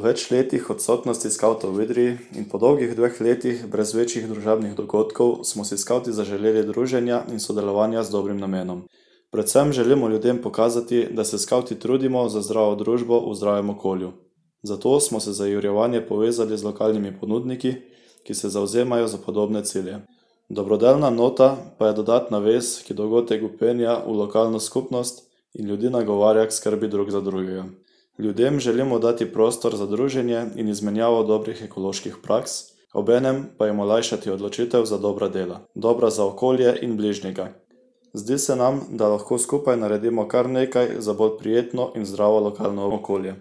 več letih odsotnosti skavtov v Idriji in po dolgih 2 letih brez večjih družabnih dogodkov smo si skavti zaželeli druženja in sodelovanja z dobrim namenom. Predvsem želimo ljudem pokazati, da se skavti trudimo za zdravo družbo v zdravem okolju. Zato smo se za jurjevanje povezali z lokalnimi ponudniki, ki se zavzemajo za podobne cilje. Dobrodelna nota pa je dodatna vez, ki dogodek vpenja v lokalno skupnost in ljudi nagovarja k skrbi drug za drugega. Ljudem želimo dati prostor za druženje in izmenjavo dobrih ekoloških praks, obenem pa jim olajšati odločitev za dobra dela, dobra za okolje in bližnjega. Zdi se nam, da lahko skupaj naredimo kar nekaj za bolj prijetno in zdravo lokalno okolje.